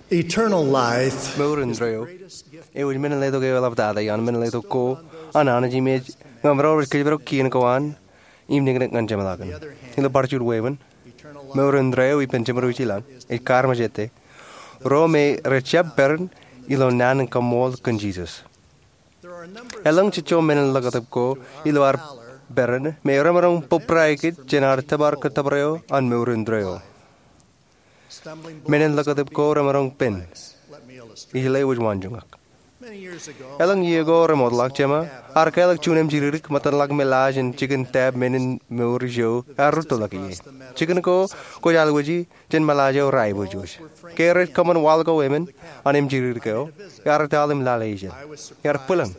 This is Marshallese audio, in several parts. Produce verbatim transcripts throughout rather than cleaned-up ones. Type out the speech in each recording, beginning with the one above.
Eternal life. Mour indeeo eo ej men in letok eo eḷaptata ioon men in letok ko an Anij im ej ñan ro rej kōjparok kien ko an im niknik ñan jeṃḷọkin. Ilo bar juon wāween, mour indeeo eo ippān jeṃḷọkin ej kaarmejete ro me rejjab peran ilo naan in kaṃṃool kōn Jisōs. Elōñ jejjo men in ḷōkatip ko ilo ad peran me remaroñ bōbrae kōj jān ad tōpar kōttōpar eo an mour indeeo. Men in ḷōkatip ko remaroñ pen. Ij lewōj waanjoñak. Elōñ iiō ko remootḷọk, jeṃa ear kālọk juon emjidikdik ṃōttan ḷak me laaj in jikin tap men in mour ijo ear rūttoḷọk ie. Jikin ko kwōj alwōji jān ṃōḷaaj eo reaiboojoj. Ke rej kōṃṃan waḷọk ko emān an emjidikdik eo, ear etaḷ im lale ijin. Ear bwilōñ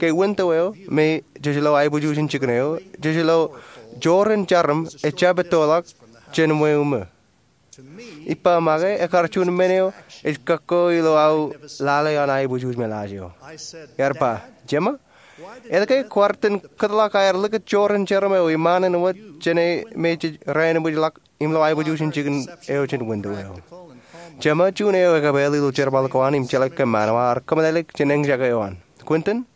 ke winto eo me jej lo aiboojoj in jikin eo, jej lo joor in jarom ejjab ettoḷọk jān ṃweo ṃō. Ippa make, ekar juon men eo ej kakko ilo aō lale an aiboojoj ṃōḷaaj eo. Ear ba, "Jeṃa, etke kwaar itōn kōtḷọk aer likūt joor in jarom eo iṃaan in wōt jān e me jej rāinwōjḷọk im lo aiboojoj in jikin eo jān winto eo?" Jeṃa, juon eo ekapeel ilo jerbal ko an im jeḷā kōṃṃan eo ear kōmeḷeḷeik jān eñjake eo an. Quentin,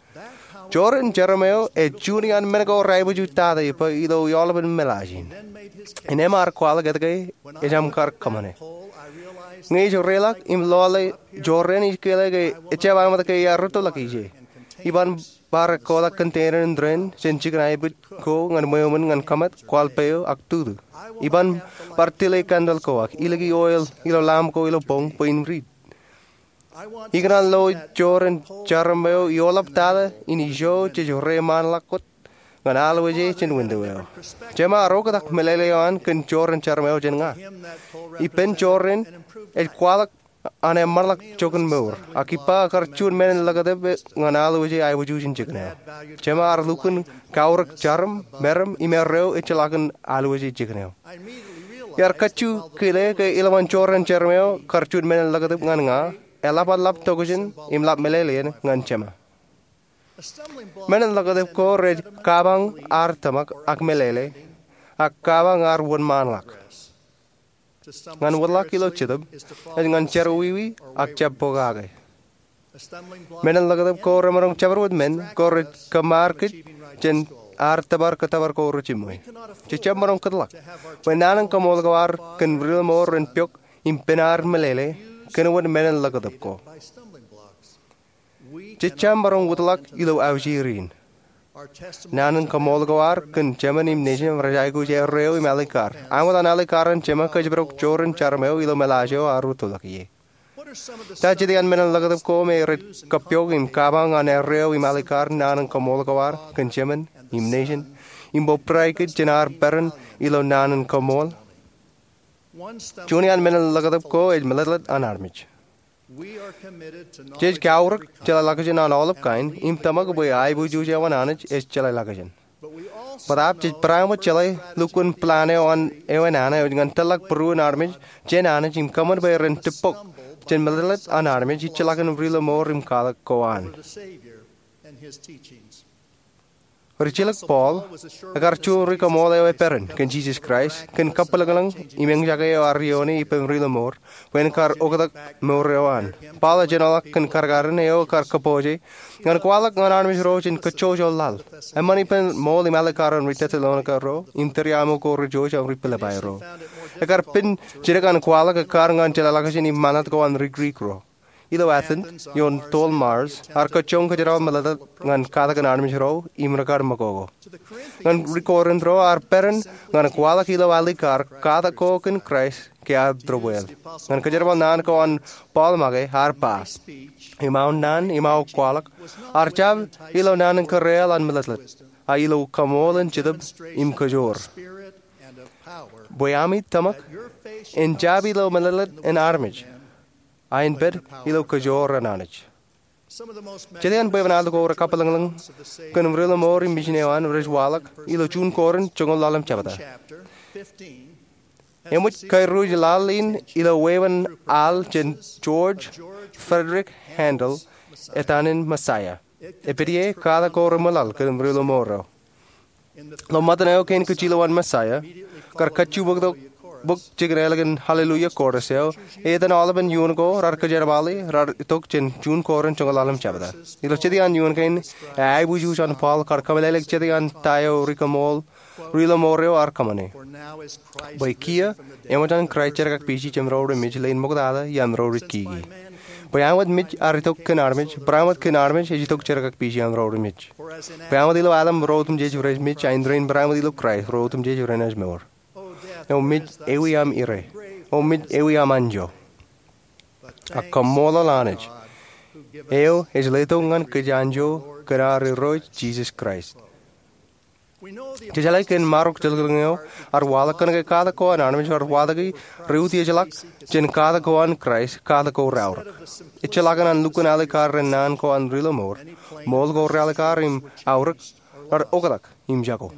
joor in jarom eo ej juon iaan men ko reaiboojoj tata ippa ilo aolepen ṃōḷaaj in. Innām ear kwaḷọk etke ejjab kar kōṃṃane. Ñe ij reiḷọk im lale joor in, ij kile ke ejjab aṃōt ke ear rūttoḷọk ije. Iban bar ekkoḷọk container in tōre jān jikin aebōj ko ñan ṃweo ṃōn ñan kōṃṃan, kwaḷ peo ak tutu. Iban bar tile candle ko ak iliki oil ilo lamp ko ilo boñ bwe in riit. Ikōṇaan lo joor in jarom eo ioḷaptata in ijo jej reiṃaanḷọk wōt ñan alwōje jān winto eo. Jeṃa ear oktak meḷeḷe eo an kōn joor in jarom eo jān ña. Ippān joor in ej kwaḷọk an eṃṃanḷọk joñan mour, ak ippa ekar juon men in ḷōkatip ñan alwōje aiboojoj in jikin eo. Jeṃa ear lukkuun kaurōk jarom, meram im erreo ejjeḷọkin alwōje jikin eo. Iar kajju kile ke ilowaan joor in jarom eo kar juon men in ḷōkatip ñan ña, eḷapḷap tokjān im ḷap meḷeḷein ñan jeṃa. Men in ḷōkatip ko rej kabañ ad tōmak ak meḷeḷe, ak kabañ ad wōnṃaanḷọk. Ñan wōtlọk ilo jetōb ej ñan jerọwiwi ak jab pokake. Men in ḷōkatip ko remaroñ jabdewōt men ko rej kōṃṃan kōj jān ad tōpar kōttōpar ko rejiṃwe. Jejjab maroñ kōtḷọk bwe naan in kaṃool ko ad kōn riḷōṃour en pok im pen ad meḷeḷe kōn wōt men in ḷōkatip ko. Jejjab maroñ wōtlọk ilo aujir in. Naan in kaṃool ko ad kōn Jeṃan im Nejin rej aikuj erreo im alikkar. Aṃ wōt an alikkar an Jeṃa kōjparok joor in jarom eo ilo ṃōḷaaj eo ear rūttoḷọk ie. Ta jet iaan men in ḷōkatip ko me rej kōppooj im kabañ an erreo im alikkar naan in kaṃool ko ad kōn Jeṃan im Nejin im bōbrae kōj jān ad peran ilo naan in kaṃool? Juon iaan men in ḷōkatip ko ej meḷeḷet an armej. Jej kaurōk jeḷā ḷọkjeṇ an aolep kain im tōmak bwe aiboojoj eo an Anij ej jeḷā ḷọkjeṇ. Bōtaab jej bareinwōt jeḷā lukkuun plan eo an eo enana eo ej ñan tōrḷọk būruon armej jān Anij im kōṃṃan bwe ren tippok jān meḷeḷet an armej ijjeḷọkin riḷōṃour im kwaḷọk ko an. Rijjilōk Paul ekar juon ri-kaṃool eo eperan kōn Jisōs Kraist kōn kabwilōñlōñ im eñjake eo ear ioone ippān riḷōṃour bwe en kar oktak mour eo an. Paul ej āinwōt kōn karkaren eo ekar kōpooje ñan kwaḷọk ñan armej ro jān kōjjojo laḷ. Eṃṃan ippān ṃool im alikkar an ri-Tessalonika ro im tūriaṃo ko rej jouj an ri-Pilippai ro. Ekar pen jidik an kwaḷọk ekkar ñan jeḷā ḷọkjeṇ im ṃanit ko an ri-Grik ro. Ilo Athens, ioon toḷ Mars, ear kajjoñ kōjerbal meḷeḷe ñan katakin armej ro im rekar ṃakoko. Ñan ri-Korint ro ear peran ñan kwaḷọk ilo alikkar katak ko kōn Kraist ke ad tōbweḷ. Ñan kōjerbal naan ko an Paul make ear ba, "Im aō naan im aō kwaḷọk ear jab ilo naan in kōrreaḷ an meḷeḷe, a ilo kaṃool in jetōb im kōjoor, bwe ami tōmak en jab ilo meḷeḷe in armej, a en pād ilo kōjoor an Anij." Jet iaan bwebwenato ko rej kabwilōñlōñ kōn riḷōṃour im mijin eo an rej waḷọk ilo juon Korint joñoul ḷalem jebta. Eṃōj kairuj laḷ in ilo wāween al jān George Frederick Handel etan in Messiah. Epād ie katak ko reṃwilaḷ kōn riḷōṃour eo. Ilo ṃōttan eo kein kajjilowaan Messiah, kar kajjuboktok bok jikin ālikin Hallelujah Chorus eo, etan aolepen iuun ko raar kōjerbale raar itok jān juon Korint joñoul ḷalem jebta. Ilo jet iaan iuun kein, eaiboojoj an Paul kar kōmeḷeḷeik jet iaan ta eo ri-kaṃool, ri-lọmọọr eo ear kōṃṃane. Bwe kiiō, eṃōj an Kraist jerkakpeje jān ro remej leen ṃoktata iaan ro rikkiki. Bwe āinwōt mej ear itok kōn armej, barāinwōt kōn armej ej itok jerkakpeje iaan ro remej. Bwe āinwōt ilo Adam ro otemjej rej mej, āindein barāinwōt ilo Kraist ro otemjej renaaj mour. O mej, ewi aṃ ire? O mej, ewi aṃ anjọ? Ak kaṃṃoolol Anij, eo ej letok ñan kōj anjọ kōn ad Irooj Jisōs Kraist. Jej jeḷā kōn marok jilkinḷọk eo ear waḷọk kōnke katak ko an armej ear watōki reutiejḷọk jān katak ko an Kraist, katak ko reaorōk. Ejjeḷọkin an lukkuun alikkar ren naan ko an ri-lọmọọr, ṃool ko realikkar im aorōk raar oktak im jako.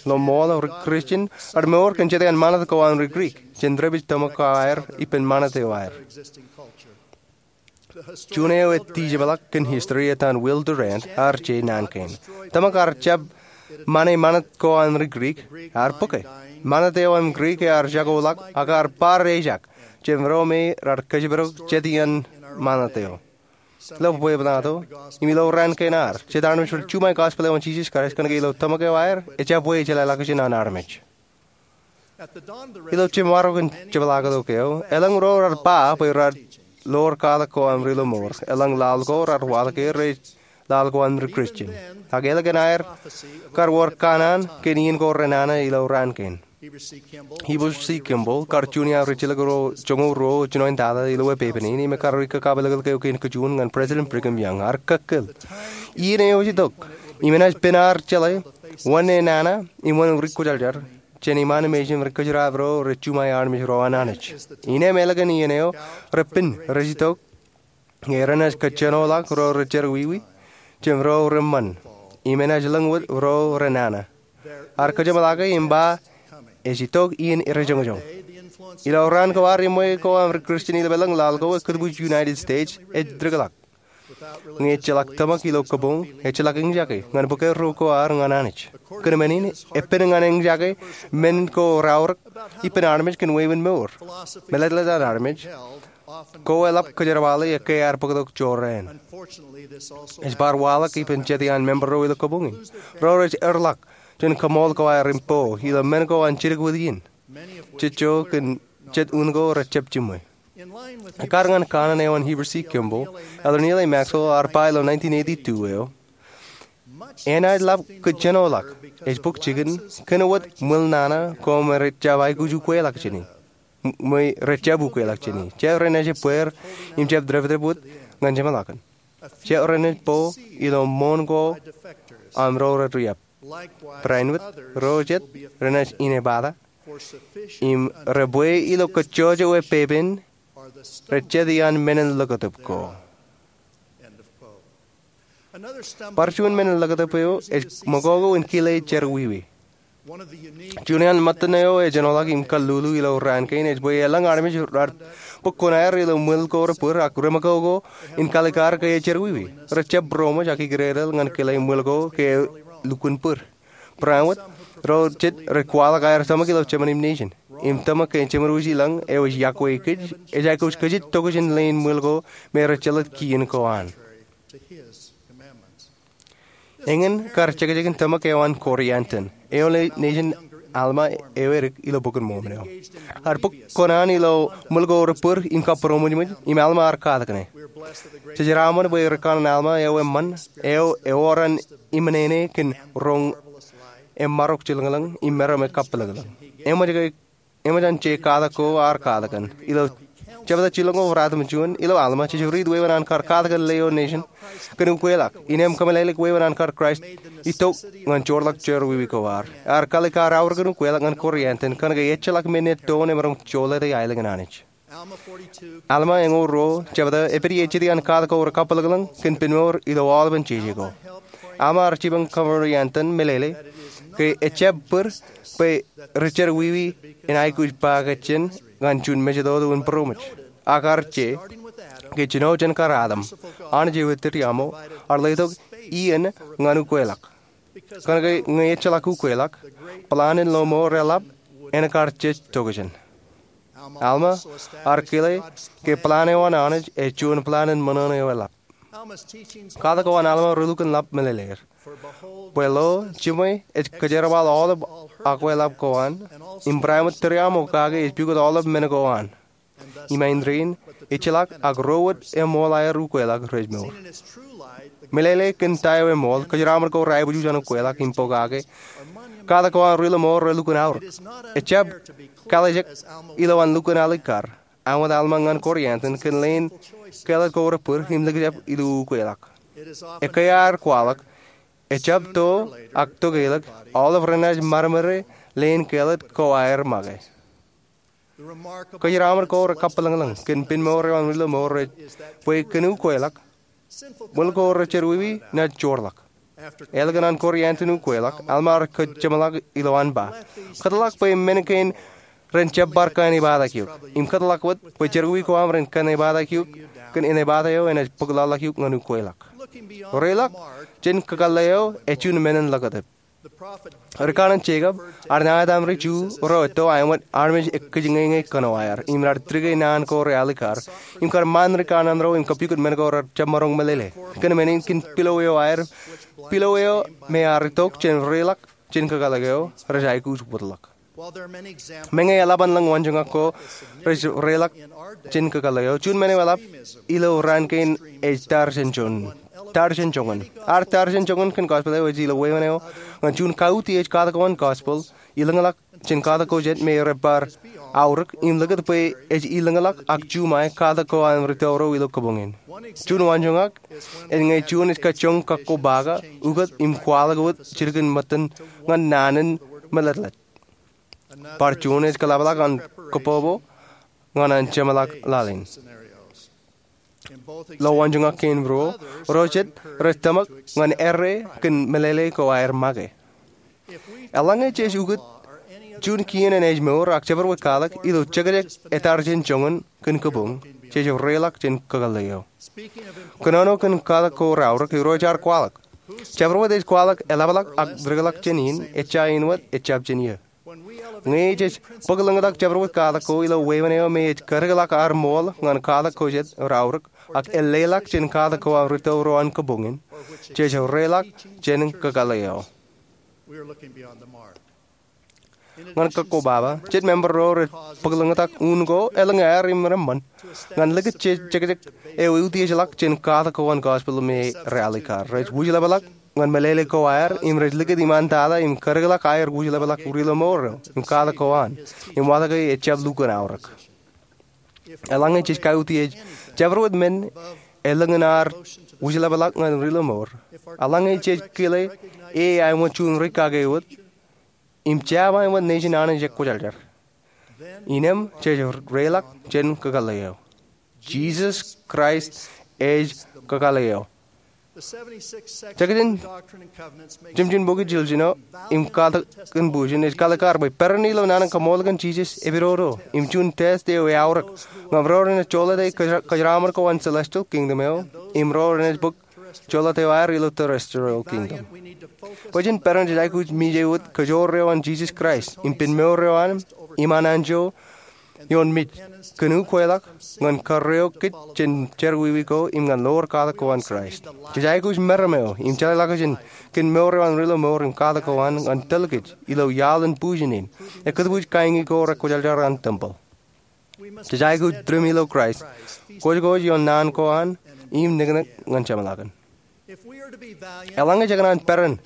Ilo ṃool, ri-Kristian remour kōn jet iaan ṃanit ko an ri-Grik, jān dāpij tōmak ko aer ippān ṃanit eo aer. Juon eo ej dijeṃḷọk kōn history etan Will Durant ear je naan kein. Tōmak ear jab ṃane ṃanit ko an ri-Grik, ear bōke. Ṃanit eo an Grik ear jakoḷọk ak ear bar ejak jān ro me raar kōjparok jet iaan ṃanit eo. Ilo bwebwenato, im ilo raan kein ad, jet armej rej juṃae gospel eo an Jisōs Kraist kōnke ilo tōmak eo aer, ejjab bwe jeḷāḷọkjeṇ an armej. Ilo jemaroñ in jepḷaaktok eo, elōñ ro raar ba bwe raar ḷoor katak ko an ri-lọmọọr, elōñ laḷ ko raar waḷọk ke rej laḷ ko an ri-Kristian. Ak ālikin aer kar wōr kanaan kōn iien ko renana ilo raan kein. Heber C. Kimball, kar juon iaan rijjelōk ro joñoul ruo jinoin tata ilo epepen in, im ekar ri kakapelekel eo kein kajjojo ñan President Brigham Young, ear kōkkōl. Iien eo ej itok, im enaaj pen aer jeḷā wōn enana im wōn ri-kwōjarjar jān iṃaan mejān ri-kōjeraab ro rej juṃae armej ro an Anij. Innām ālikin iien eo, repen rej itok, ñe renaaj kōjjenoḷọk ro rej jerọwiwi jān ro reṃṃan, im enaaj lōñ wōt ro renana. Ear kōjeṃḷọke im ba, ej itok iien rejoñjoñ. Ilo raan ko ad, eṃṃan ko an ri-Kristian ilo elōñ laḷ ko ej kūtbuuj United States ej dikḷọk. Ñe ejjeḷọk tōmak ilo kōpooj, ejjeḷọk eñjake ñan bōk erro ko ad ñan Anij. Kōn men in, epen ñan eñjake men ko reaorōk ippān armej kōn wāween mour. Mālōtlōt an armej ko eḷap kōjerbale ekkā ear bōktok jorrāān. Ej bar waḷọk ippān jet iaan member ro ilo kōpooj in. Ro rej erḷọk jān kaṃool ko aer im po ilo men ko an jidik wōt iien. Jejjo kōn jet un ko rej jab jiṃwe. Ekkar ñan kanaan eo an Heber C. Kimball, Elder Neal A. Maxwell ear ba ilo nineteen eighty-two eo, enaaj ḷap kōjjenoḷọk, ej bōk jikin, kōn wōt ṃwiil nana ko me rej jab aikuj ukweḷọk jāni. M-, me rej jab ukweḷọk jāni. Jab renaaj ebbeer im jab dāpdāp wōt ñan jeṃḷọkin. Jab renaaj po ilo ṃoon ko aṃ ro rej riab. Barāinwōt ro jet renaaj inepata im rej bwe ilo kōjjojo epepen rej jet iaan menin ḷōkatip ko. Bar juon menin ḷōkatip eo ej ṃōkoko in kile jerọwiwi. Juon iaan ṃōttan eo ej ejenoḷọk im kallulu ilo raan kein ej bwe elōñ armej raar bōk kuṇaer ilo ṃwiil ko rej bōd ak reṃōkoko in kalikkar ke ej jerọwiwi. Rej jab būroṃōj ak ikdedeḷ ñan kile ṃwiil ko ke lukkuun bōd. Barāinwōt, ro jet rej kwaḷọk aer tōmak ilo jemān im nejin. Im tōmak ke jemān wōj ilọñ eo ej iọkwe kōj, ej aikuj kōjej tokjān leen ṃwiil ko me rej jelōt kien ko an. Eñin kar jekjekin tōmak eo an Corianton, eo nejin Alma eo edik ilo Bok in Mormon eo. Ear bōk kuṇaan ilo ṃwiil ko rej bōd im kabūroṃōjṃōj, im Alma ear katak ṇe. Jej jeraṃṃan bwe ri-kanaan Alma eo eṃṃan, eo ewōr an iṃōṇōṇō kōn roñ emaroñ jilkinḷọk im meram ekappilōklōk. Eṃōj ke, eṃōj an je katak ko ear katak kōn. Ilo jebta jilōñ ko ruatimjuon, ilo Alma, jej riit wāween an kar katak kōn lio nejin kōn ukweḷọk, innām kōmeḷeḷeik wāween an kar Kraist itok ñan joorḷọk jerọwiwi ko ad. Ear kalikkar aorōk in ukweḷọk ñan Corianton, kōnke ejjeḷọk men ettoon emaroñ jolōte aelōñ in Anij. Alma eñoul ruo, jebta, epād ie jet iaan katak ko rekappilōklōk kōn penmour ilo aolepen jeje ko. Alma ear jipañ Corianton meḷeḷe ke ejjab bōd bwe ri-jerọwiwi in aikuj ba kōjjien ñan juon mejatoto in būroṃōj. Ak ear je, ke jino jān kar Adam, Anij eo ettiriaṃo, ear letok iien ñan ukweḷọk. Kōnke ñe ejjeḷọk ukweḷọk, plan in lọmọọr eḷap en kar jej tokjān. Alma ear kile ke plan eo an Anij ej juon plan in ṃōṇōṇō eo eḷap. Katak ko an Alma relukkuun ḷap meḷeḷeir. Bwe lo, jiṃwe ej kōjerbal aolep akweḷap ko an, im barāinwōt tūriaṃo kake ej pukot aolep men ko an. Im āindein, ejjeḷọk ak ro wōt eṃool aer ukweḷọk rej mour. Meḷeḷe kōn ta eo eṃool, kōjeraṃōd ko reaibwij juon ukweḷọk im pokake, katak ko an ri-lọmọọr relukkuun aorōk. Ejjab kālijek ilowaan lukkuun alikkar āinwōt Alma ñan Koriantin kōn leen kāālōt ko rej bōd im likjab ilo ukweḷọk. Ekkā ear kwaḷọk, ejjab to ak tokeḷọk aolep renaaj maroñ leen kāālōt ko aer make. Kōjeraṃōd ko rekabwilōñlōñ kōn pen mour eo an ri-lọmọọr ej bwe kōn ukweḷọk, ṃwil ko rejerọwiwi naaj joorḷọk. Ālikin an Koriantin ukweḷọk, Alma ear kōjeṃḷọk ilowaan ba, kōtḷọk bwe men kein ren jab bar kaenōṃṃan eok, im kōtḷọk wōt bwe jerọwiwi ko aṃ ren kaenōṃṃan eok kōn eṇ epata eo enaaj bōk lọḷḷọk eok ñan ukweḷọk. Reḷọk jān kakōḷḷe eo ej juon men in ḷōkatep. Ri kanaan Jekob ear ṇa etaṃ ri-Ju ro etto āinwōt armej ekkijñeñe kōnoaer im raar dik naan ko realikkar im kar ṃaan ri kanaan ro im kapukot men ko rej jab maroñ meḷeḷe. Kōn men in kōn pilo eo aer, pilo eo me ear itok jān reḷọk jān kakōḷḷe eo, rej aikuj wōtlọk. Meñe eḷap an lōñ waanjoñak ko rej reḷọk jān kakōḷḷe eo, juon men eo eḷap ilo raan kein ej tar jān joñan. Tar jān joñan. Ad tar jān joñan kōn gospel eo ej ilo wāween eo ñan juon kautiej katak ko an gospel ilōñḷọk jān katak ko jet me rej bar aorōk im likūt bwe ej ilōñḷọk ak juṃae katak ko an ri-tōro ilo kabuñ in. Juon waanjoñak ej ñe juon ej kajjoñ kakkobaka ukōt im kwaḷọk wōt jidik in ṃōttan ñan naan in meletlet. Bar juon ej kōḷapḷọk an kōbobo ñan an jeṃḷọk laḷ in. Ilo waanjoñak kein ruo, ro jet rej tōmak ñan errā kōn meḷeḷe ko aer make. Eḷaññe jej ukōt juon kien enaaj mour ak jabdewōt kwaḷọk ilo jekjek etar jān joñan kōn kabuñ, jej reḷọk jān kakōḷḷe eo. Kōnono kōn katak ko reaorōk, Irooj ear kwaḷọk, jabdewōt ej kwaḷọk eḷapḷọk ak dikḷọk jān in, ejja āinwōt ejjab jān eō. Ñe jej bōklōñtak jabdewōt katak ko ilo wāween eo me ej kadikḷọk ad ṃool ñan katak ko jet reaorōk ak elleḷọk jān katak ko an ri-tōro an kabuñ in, jej reḷọk jān kakōḷḷe eo. Ñan kakkobaba, jet member ro rej bōklōñtak un ko elōñ aer im reṃṃan ñan likūt jejjekjek eo eutiejḷọk jān katak ko an gospel me realikkar. Rej wūjlepḷọk ñan meḷeḷe ko aer im rej likūt iṃaan tata im kadikḷọk aer wūjlepḷọk ri-lọmọọr eo im katak ko an im watōke ejjab lukkuun aorōk. Eḷaññe jej kautiej jabdewōt men elōñ in ad wūjlepḷọk ñan ri-lọmọọr, eḷaññe jej kile e āinwōt juon rikkake wōt im jab āinwōt nejin Anij ekwōjarjar, innām jej reḷọk jān kakōḷḷe eo. Jisōs Kraist ej kakōḷḷe eo. Jekjek in jimjuon bok jiljino im katak in bujen ej kalikkar bwe peran ilo naan in kaṃool kōn Jisōs epidodo im juon test eo eaorōk ñan ro renaaj jolōte kōjeraaṃṃan ko an celestial kingdom eo im ro renaaj bōk jolōt eo aer ilo terrestrial kingdom. Bwe jen peran jej aikuj mije wōt kajoor eo an Jisōs Kraist im pen mour eo an im an anjọ ioon mej kōn ukweḷọk ñan karreoik kōj jān jerọwiwi ko im ñan ḷoor katak ko an Kraist. Jej aikuj meram eo im jeḷāḷọkjeṇ kōn mour eo an ri-lọmọọr im katak ko an ñan tōl kōj ilo iaḷ in bujen in ekkōtbwij kain ko rekwōjarjar an tempel. Jej aikuj tūriṃ ilo Kraist, kwōjkwōj ioon naan ko an im niknik ñan jeṃḷọkin. Eḷaññe jekōṇaan peran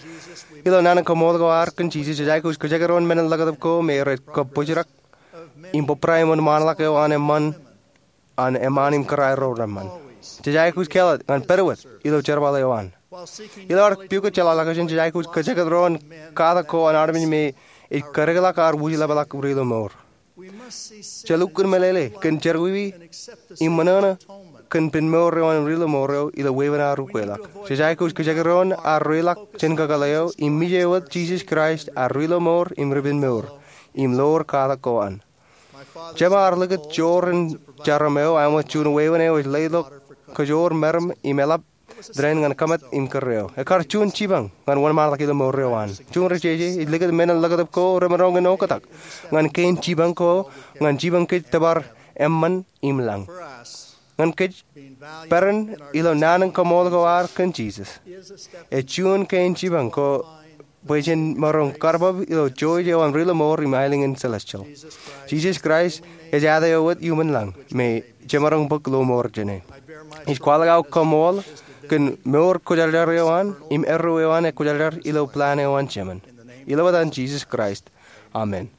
ilo naan in kaṃool ko ad kōn Jisōs, jej aikuj kajekdọọn men in ḷōkatep ko me rej kōbōjrak im bōbrae ṃōn ṃaanḷọk eo an eṃṃaan, an eṃṃaan im kōrā ro reṃṃan. Jej aikuj kāālōt ñan pād wōt ilo jerbal eo an. Ilo ad pukot jeḷāḷọkjeṇ, jej aikuj kajekdọọn katak ko an armej me ej kadikḷọk ad wūjlepḷọk ri-lọmọọr. Jej lukkuun meḷeḷe kōn jerọwiwi im ṃōṇōṇō kōn pen mour eo an ri-lọmọọr eo ilo wāween ad ukweḷọk. Jej aikuj kajekdọọn ad reḷọk jān kakōḷḷe eo im mije wōt Jisōs Kraist ad ri-lọmọọr im ripenmour im ḷoor katak ko an. Jema ear likūt joor in jarom eo āinwōt juon wāween eo ej leḷọk kajoor meram im eḷap Tōre in ñan kōṃṃan im kōrā eo. Ekkar juon jipañ ñan wōnṃaanḷọk ilo mour eo an. Juon ri jeje, ij likūt men in ḷōkatip ko remaroñ in oktak ñan kein jipañ ko, ñan jipañ kōj tōpar eṃṃan im lañ. Ñan kōj, peran ilo naan in kaṃool ko ad kōn Jisōs ej juon kein jipañ ko bwe jen maroñ karbab ilo jouj eo an ri-lọmọọr im aelōñ in celestial. Jisōs Kraist ej āt eo wōt iuṃwin lañ me jemaroñ bōk lọmọọr jāne. Ij kwaḷọk aō kaṃool kōn mour kwōjarjar eo an im erreo eo an ekwōjarjar ilo plan eo an Jemān. Ilo etan Jisōs Kraist, amen.